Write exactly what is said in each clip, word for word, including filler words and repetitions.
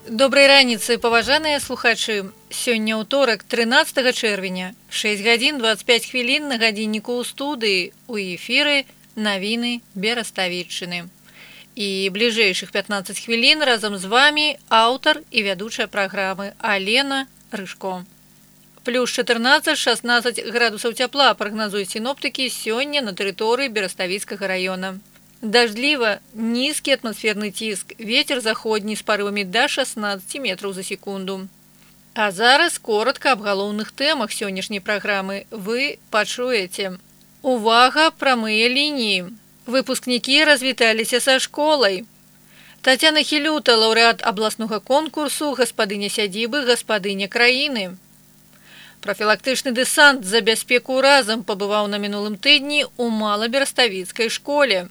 Добрай раніцы, паважаныя слухачы. Сёння ўторак, трынаццатага чэрвеня, шэсць гадзін дваццаць пяць хвілін на гадзінніку ў студыі, у эфіры навіны Бераставіччыны. І бліжэйшых пятнаццаць хвілін разам з вамі аўтар і вядучая праграмы Алена Рыжко. Плюс чатырнаццаць-шаснаццаць градусаў цяпла прагназуюць сіноптыкі сёння на тэрыторыі Бераставіцкага раёна. Даждліва, нізкі атмасферны ціск, вецер заходні з парывамі да шаснаццаці метраў за секунду. А зараз коротка аб галоўных тэмах сённяшняй праграмы вы пачуеце. Увага, прамыя лініі. Выпускнікі развіталіся са школай. Тацяна Хілюта, лаўрэат абласнога конкурсу «Гаспадыня сядзібы, гаспадыня краіны». Профілактычны дэсант за бяспеку разам пабываў на мінулым тыдні ў Малабераставіцкай школе.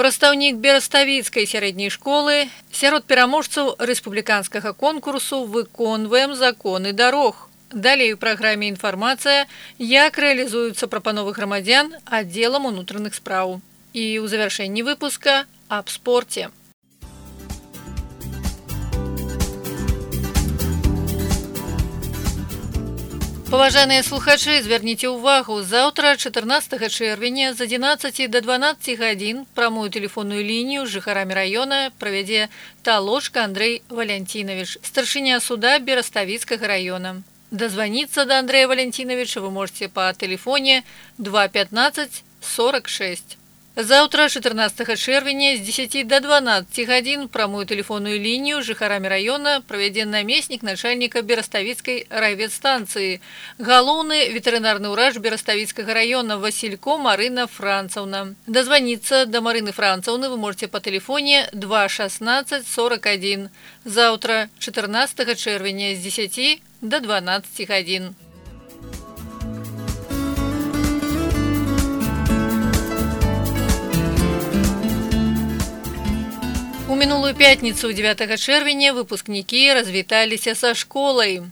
Прадстаўнік Бераставіцкай сярэдняй школы сярод пераможцаў рэспубліканскага конкурсу «Выконваем законы дарог». Далей у праграме інфармацыя, як рэалізуюцца прапановы грамадзян аддзелам унутраных спраў. І ў завяршэнні выпуска аб спорце. Паважаныя слухачы, звярніце ўвагу, заўтра чатырнаццатага чэрвеня з адзінаццаці да дванаццаці гадзін прамую тэлефонную лінію з жыхарамі раёна правядзе Талошка Андрэй Валянцінавіч, старшыня суда Бераставіцкага раёна. Дазваніцца да Андрэя Валянцінавіча вы можаце па тэлефоне два пятнаццаць сорок шэсць. Заўтра чатырнаццатага чэрвеня з дзесяці да дванаццаці гадзін прамую тэлефонную лінію з жыхарамі раёна правядзе намеснік начальніка Бераставіцкай райветстанцыі, галоўны ветэрынарны ўрач Бераставіцкага раёна Васілько Марына Францаўна. Дазваніцца да Марыны Францаўны вы можаце па тэлефоне два шаснаццаць сорок адзін. Заўтра чатырнаццатага чэрвеня з дзесяці да дванаццаці гадзін. У мінулую пятніцу дзевятага чэрвеня выпускнікі развіталіся са школай.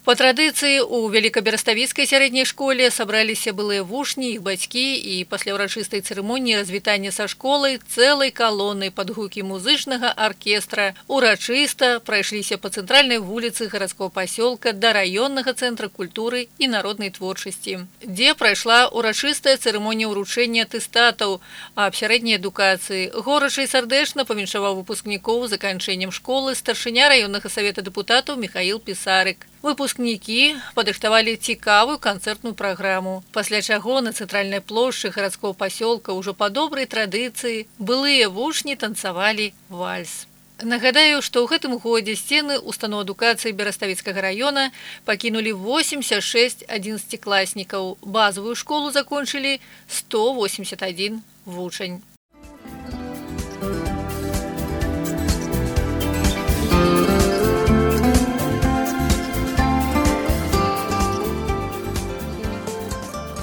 Па традыцыі у Великабераставіцкай сярэдняй школе сабраліся былыя вучні, іх бацькі і пасля ўрачыстай цырымоніі развітання са школай цэлай калонай пад гукі музычнага аркестра урачыста прайшліся па цэнтральнай вуліцы гарадскога пасёлка да раённага цэнтра культуры і народнай творчасці, дзе прайшла урачыстая цырымонія ўручэння атэстатаў аб сярэдняй адукацыі. Горача і сардэчна павіншаваў выпускнікоў заканчэннем школы старшыня раённага савета дэпутатаў Міхаіл Пісарык. Выпускнікі падрыхтавалі цікавую канцэртную праграму, пасля чаго на цэнтральнай плошчы гарадскога пасёлка ўжо па добрай традыцыі былыя вучні танцавалі вальс. Нагадаю, што ў гэтым годзе сцены устаноў адукацыі Бераставіцкага раёна пакінулі восемьдесят шесть адзінаццацікласнікаў. Базавую школу закончылі сто восемьдесят один вучань.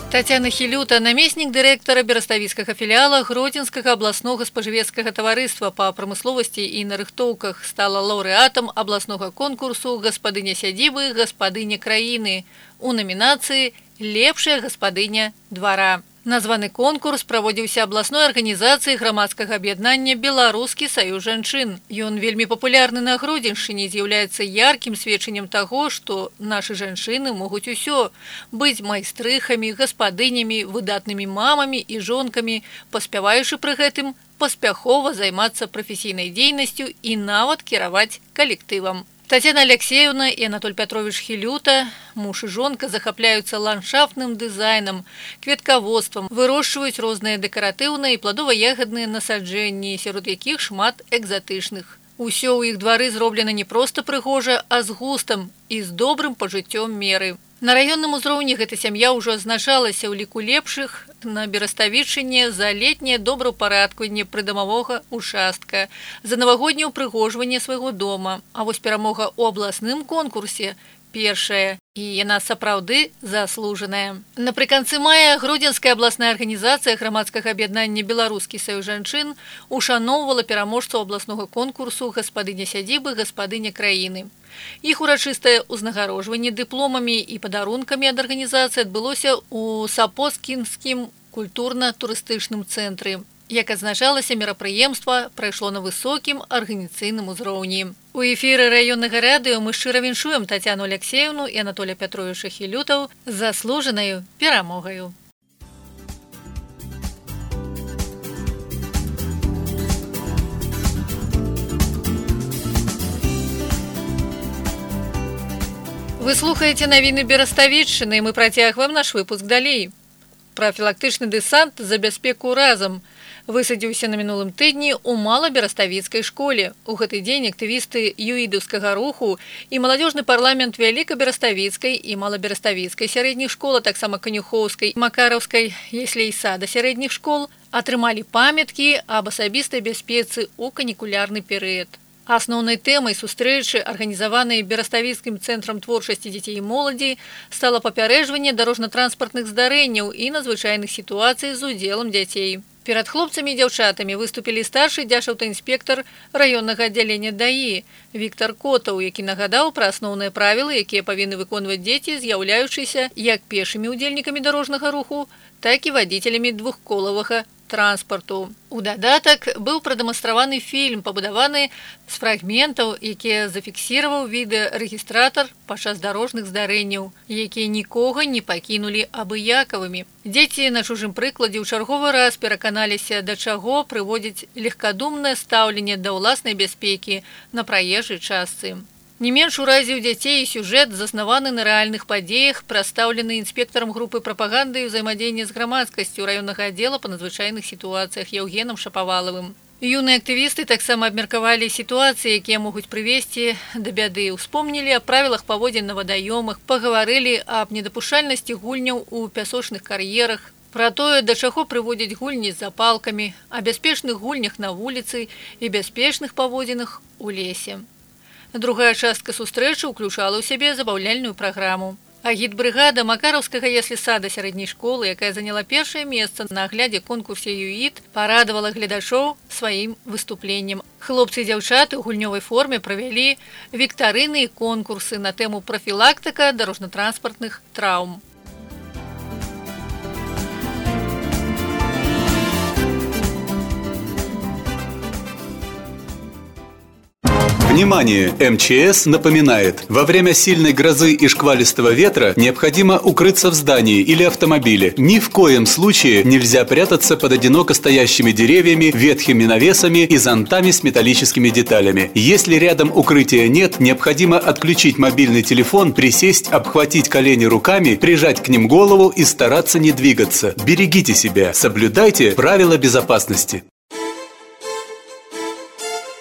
Тацяна Хілюта, намеснік дырэктара Бераставіцкага філіяла Гродзенскага абласнога спажывецкага таварыства па прамысловасці і нарыхтоўках, стала лаўрэатам абласнога конкурсу «Гаспадыня сядзібы, гаспадыня краіны» у намінацыі «Лепшая гаспадыня двара». Названы конкурс праводзіўся абласной арганізацыяй грамадскага аб'яднання «Беларускі саюз жанчын». Ён вельмі папулярны на Гродзеншчыне, з'яўляецца яркім сведчаннем таго, што нашы жанчыны могуць усё – быць майстрыхамі, гаспадынямі, выдатнымі мамамі і жонкамі, паспяваючы пры гэтым паспяхова займацца прафесійнай дзейнасцю і нават кіраваць калектывам. Тацяна Алексеевна і Анатоль Пятрович Хілюта, муж і жонка, захапляюцца ландшафтным дызайнам, кветкаводствам, вырошчваюць розныя дэкаратыўныя і пладова-ягадныя насаджэнні, сярод якіх шмат экзатычных. Усё ў іх двары зроблена не проста прыгожа, а з густам і з добрым пажыццём меры. На раённым узроўні гэта сям'я ўжо азначалася ў ліку лепшых на Бераставіччыне за летняе добраўпарадкаванне прыдамавога участка, за навагодняе ўпрыгожванне свайго дома. А вось перамога ў абласным конкурсе першая, і яна сапраўды заслужаная. Напрыканцы мая Гродзенская абласная арганізацыя грамадскага аб'яднання «Беларускі саюз жанчын» ушаноўвала пераможцаў абласнога конкурсу «Гаспадыня сядзібы, гаспадыня краіны». Іх урачыстае ўзнагароджванне дыпломамі і падарункамі ад арганізацыі адбылося ў Сапоцкінскім культурна-турыстычным цэнтры. Як адзначалася, мерапрыемства прайшло на высокім арганізацыйным узроўні. У эфіры раённага радыё мы шчыра віншуем Тацяну Алексеевну і Анатолія Пятровича Хілютаў з заслужанаю перамогаю. Вы слухаеце навіны Бераставіччыны, і мы працягваем наш выпуск далей. Прафілактычны дэсант за бяспеку разам высадзіўся на мінулым тыдні ў Малабераставіцкай школе. У гэты дзень актывісты юідаўскага руху і маладзёжны парламент Вялікабераставіцкай і Малабераставіцкай сярэдніх школ, а таксама Канюхоўскай, Макараўскай, яслей сада сярэдніх школ атрымалі памяткі аб асабістай бяспецы ў канікулярны перыяд. Асноўнай тэмай сустрэчы, арганізаванай Бераставіцкім цэнтрам творчасці дзяцей і моладзі, стала папярэджванне дарожна-транспартных здарэнняў і надзвычайных сітуацый з удзелам дзяцей. Перад хлопцамі і дзяўчатамі выступілі старшы дзяжаўтаінспектар раённага аддзялення ДАІ Віктар Котаў, які нагадаў пра асноўныя правілы, якія павінны выконваць дзеці, з'яўляючыся як пешымі ўдзельнікамі дарожнага руху, так і вадзіцелямі двухколавага транспарту. У дадатак быў прадэманстраваны фільм, пабудаваны з фрагментаў, якія зафіксіраваў відэарэгістратар падчас дарожных здарэнняў, якія нікога не пакінулі абыякавымі. Дзеці на чужым прыкладзе ў чарговы раз пераканаліся, да чаго прыводзіць легкадумнае стаўленне да ўласнай бяспекі на праезжай частцы. Не менш уразіў дзяцей і сюжэт, заснаваны на рэальных падзеях, прадстаўлены інспектарам групы прапаганды і ўзаемадзеяння з грамадскасцю раённага аддзела па надзвычайных сітуацыях Яўгенам Шапавалавым. Юныя актывісты таксама абмеркавалі сітуацыі, якія могуць прывесці да бяды. Успомнілі аб правілах паводзін на вадаёмах, пагаварылі аб недапушчальнасці гульняў у пясочных кар'ерах, пра тое, да чаго прыводзяць гульні з запалкамі, о бяспечных гульнях на вуліцы і бяспечных паводзінах у лесе. Другая частка сустрэчы ўключала ў сябе забаўляльную праграму. Агітбрыгада Макараўскага яслі-сада сярэдняй школы, якая заняла першае месца на аглядзе конкурсе ЮІД, парадавала гледачоў сваім выступленнем. Хлопцы і дзяўчаты ў гульнёвай форме правялі віктарыны і конкурсы на тэму прафілактыка дарожна-транспартных траўм. Внимание! эм че эс напоминает, во время сильной грозы и шквалистого ветра необходимо укрыться в здании или автомобиле. Ни в коем случае нельзя прятаться под одиноко стоящими деревьями, ветхими навесами и зонтами с металлическими деталями. Если рядом укрытия нет, необходимо отключить мобильный телефон, присесть, обхватить колени руками, прижать к ним голову и стараться не двигаться. Берегите себя, соблюдайте правила безопасности.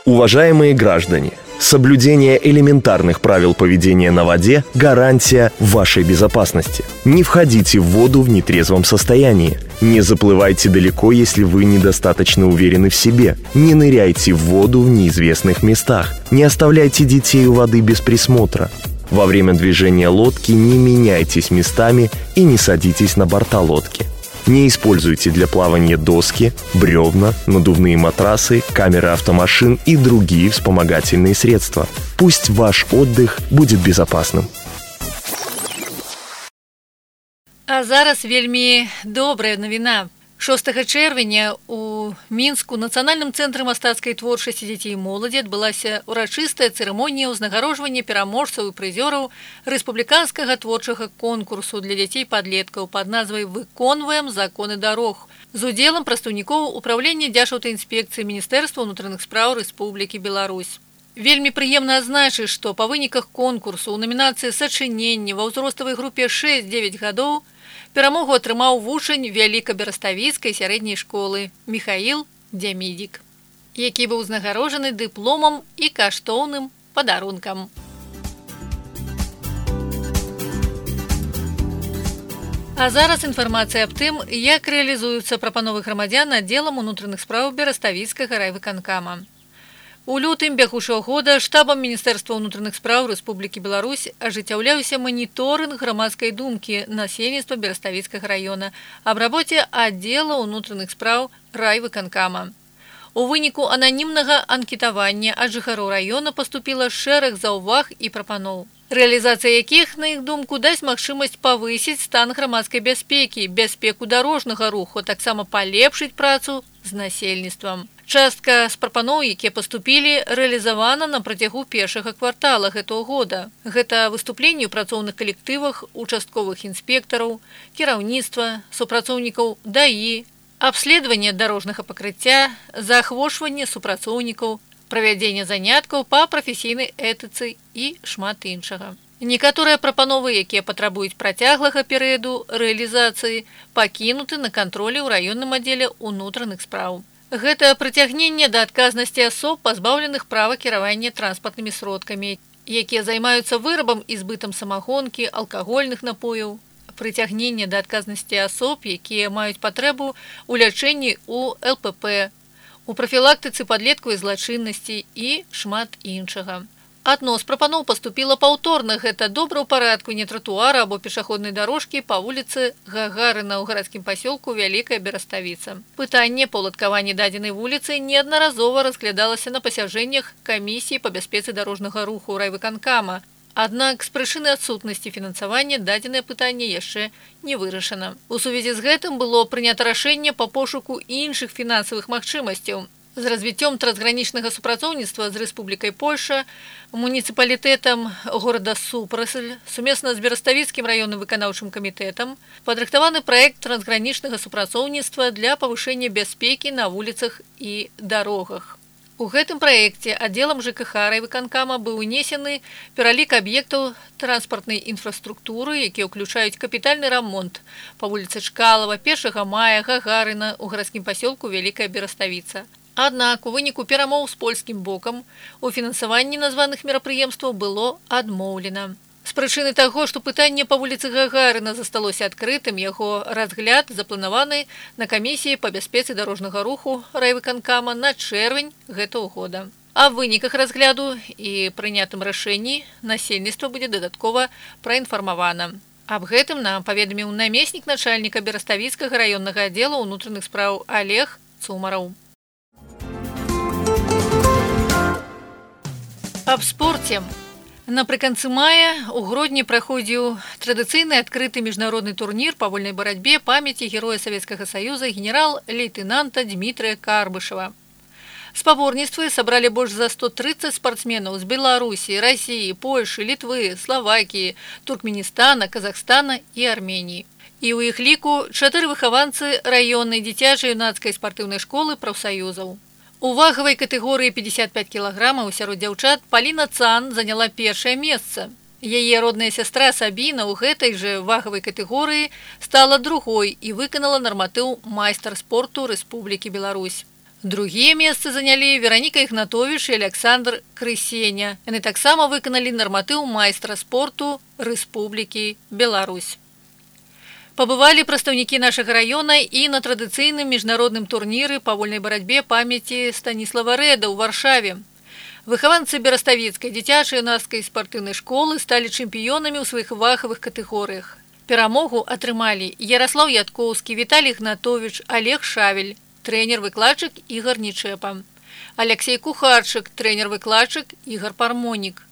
Уважаемые граждане, соблюдение элементарных правил поведения на воде – гарантия вашей безопасности. Не входите в воду в нетрезвом состоянии. Не заплывайте далеко, если вы недостаточно уверены в себе. Не ныряйте в воду в неизвестных местах. Не оставляйте детей у воды без присмотра. Во время движения лодки не меняйтесь местами и не садитесь на борта лодки. Не используйте для плавания доски, бревна, надувные матрасы, камеры автомашин и другие вспомогательные средства. Пусть ваш отдых будет безопасным. А зараз вельмі добрая навіна. шостага чэрвеня у Мінску Нацыянальным цэнтрам мастацкай творчасці дзяцей і моладзі адбылася ўрачыстая цырымонія ўзнагароджвання пераможцаў і прызёраў рэспубліканскага творчага конкурсу для дзяцей-падлеткаў пад назвай «Выконваем законы дарог» з удзелам прадстаўнікоў управлення дзяржаўтаінспекцыі Міністэрства ўнутраных спраў Рэспублікі Беларусь. Вельмі прыемна адзначыць, што па выніках конкурсу ў намінацыі «Сачыненне» ва ўзроставай групе шэсць-дзевяць гадоў перамогу атрымаў вучань Вялікабераставіцкай сярэдняй школы Міхаіл Дзямідзік, які быў узнагароджаны дыпломам і каштоўным падарункам. А зараз інфармацыя аб тым, як рэалізуюцца прапановы грамадзян аддзелам унутраных спраў Бераставіцкага райвыканкама. У лютым бягучага года штабам Міністэрства ўнутраных спраў Рэспублікі Беларусь ажыццяўляўся маніторынг грамадскай думкі насельніцтва Бераставіцкага раёна аб рабоце аддзела ўнутраных спраў райвыканкама. У выніку ананімнага анкетавання ад жыхароў раёна паступіла шэраг заўваг і прапаноў, рэалізацыя якіх, на іх думку, дасць магчымасць павысіць стан грамадскай бяспекі, бяспеку дарожнага руху, таксама палепшыць працу з насельніцтвам. Частка з прапаноў, якія паступілі, рэалізавана на працягу першага квартала гэтага года. Гэта выступленні ў працоўных калектывах, участковых інспектараў, кіраўніцтва, супрацоўнікаў ДАІ, абследаванне дарожнага пакрыцця, заахвочванне супрацоўнікаў, правядзенне заняткаў па прафесійнай этыцы і шмат іншага. Некаторыя прапановы, якія патрабуюць працяглага перыяду рэалізацыі, пакінуты на кантролі ў раённым аддзеле ўнутраных спраў. Гэта прыцягненне да адказнасці асоб, пазбаўленых права кіравання транспартнымі сродкамі, якія займаюцца вырабам і збытам самагонкі, алкагольных напояў, прыцягненне да адказнасці асоб, якія маюць патрэбу ў лячэнні ў эл пэ пэ, у прафілактыцы падлеткавай злачыннасці і шмат іншага. Адно з прапаноў паступіла паўторна, гэта добраўпарадку не тратуара або пешаходнай дарожкі па вуліцы Гагарына ў гарадскім пасёлку Вялікая Бераставіца. Пытанне па ўладкаванні дадзенай вуліцы неаднаразова разглядалася на пасяджэннях камісіі па бяспецы дарожнага руху райвыканкама. Аднак з прычыны адсутнасці фінансавання дадзенае пытанне яшчэ не вырашана. У сувязі з гэтым было прынята рашэнне па пошуку іншых фінансавых магчымасцяў. З развіццём трансгранічнага супрацоўніцтва з Рэспублікай Польша, муніцыпалітэтам горада Супрасыль, сумесна з Бераставіцкім раённым выканаўчым камітэтам, падрыхтаваны праект трансгранічнага супрацоўніцтва для павышэння бяспекі на вуліцах і дарогах. У гэтым праекце аддзелам жэ ка ха райвыканкама быў унесены пералік аб'ектаў транспартнай інфраструктуры, якія ўключаюць капітальны рамонт па вуліцы Чкалава, першага мая, Гагарына ў гарадскім пасёлку Вялікая Бераставіца. Аднак у выніку перамоў з польскім бокам у фінансаванні названых мерапрыемстваў было адмоўлена. З прычыны таго, што пытанне па вуліцы Гагарына засталося адкрытым, яго разгляд запланаваны на камісіі па бяспецы дарожнага руху райвыканкама на чэрвень гэтага года. А ў выніках разгляду і прынятым рашэнні насельніцтва будзе дадаткова праінфармавана. Аб гэтым нам паведаміў намеснік начальніка Бераставіцкага раённага аддзела ўнутраных спраў Олег Цумараў. Аб спорце. Напрыканцы мая у Гродні праходзіў традыцыйны адкрыты міжнародны турнір па вольнай барацьбе памяці героя Савецкага Саюза генерал-лейтэнанта Дмітрыя Карбышева. Спаборніцтвы сабралі больш за сто трыццаць спартсменаў з Беларусі, Расіі, Польшы, Літвы, Славакіі, Туркменістана, Казахстана і Арменіі. І ў іх ліку чатыры выхаванцы раённай дзіцяча-юнацкай спартыўнай школы прафсаюзаў. У вагавай катэгорыі пятьдесят пять кілаграмаў сярод дзяўчат Паліна Цан заняла першае месца. Яе родная сястра Сабіна ў гэтай жа вагавай катэгорыі стала другой і выканала нарматыў майстар спорту Рэспублікі Беларусь. Другія месцы занялі Вераніка Ігнатовіч і Александр Крысеня. Яны таксама выканалі нарматыў майстра спорту Рэспублікі Беларусь. Пабывалі прадстаўнікі нашага раёна і на традыцыйным міжнародным турніры па вольнай барацьбе памяці Станіслава Рэда ў Варшаве. Выхаванцы Бераставіцкай дзіцяча-юнацкай спартыўнай школы сталі чэмпіёнамі ў сваіх вагавых катэгорыях. Перамогу атрымалі Яраслаў Яткоўскі, Віталій Ігнатовіч, Олег Шавель, трэнер-выкладчык Ігар Нічэпа, Алексей Кухарчык, трэнер-выкладчык Ігар Пармонік.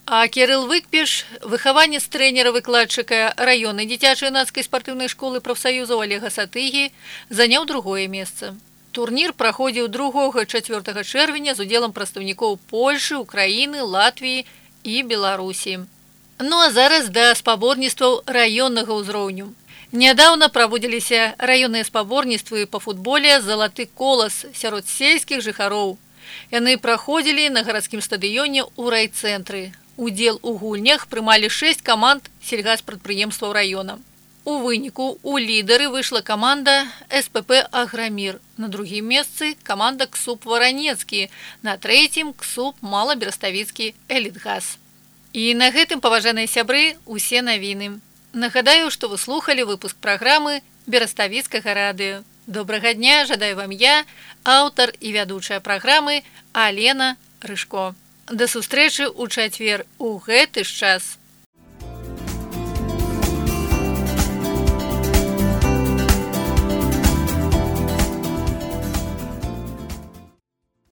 А Кірыл Выкпіш, выхаванец трэнера-выкладчыка раённай дзіцяча-юнацкай спартыўнай школы прафсаюзаў Олега Сатыгі, заняў другое месца. Турнір праходзіў другога-чацвёртага чэрвеня з удзелам прадстаўнікоў Польшы, Украіны, Латвіі і Беларусі. Ну а зараз да спаборніцтваў раённага ўзроўню. Нядаўна праводзіліся раённыя спаборніцтвы па футболе «Залаты колас» сярод сельскіх жыхароў. Яны праходзілі на гарадскім стадыёне ў райцэнтры. Удзел у гульнях прымалі шэсць каманд сельгаспрадпрыемстваў раёна. У выніку у лідары выйшла каманда эс пэ пэ «Аграмір». На другім месцы каманда КСУП «Варанецкі», на трэцім КСУП «Мала-Бераставіцкі Элітгаз». І на гэтым, паважаныя сябры, усе навіны. Нагадаю, што вы слухалі выпуск праграмы Бераставіцкага радыё. Добрага дня, жадаю вам я, аўтар і вядучая праграмы Алена Рыжко. Да сустрэчы ў чацвер у гэты ж час.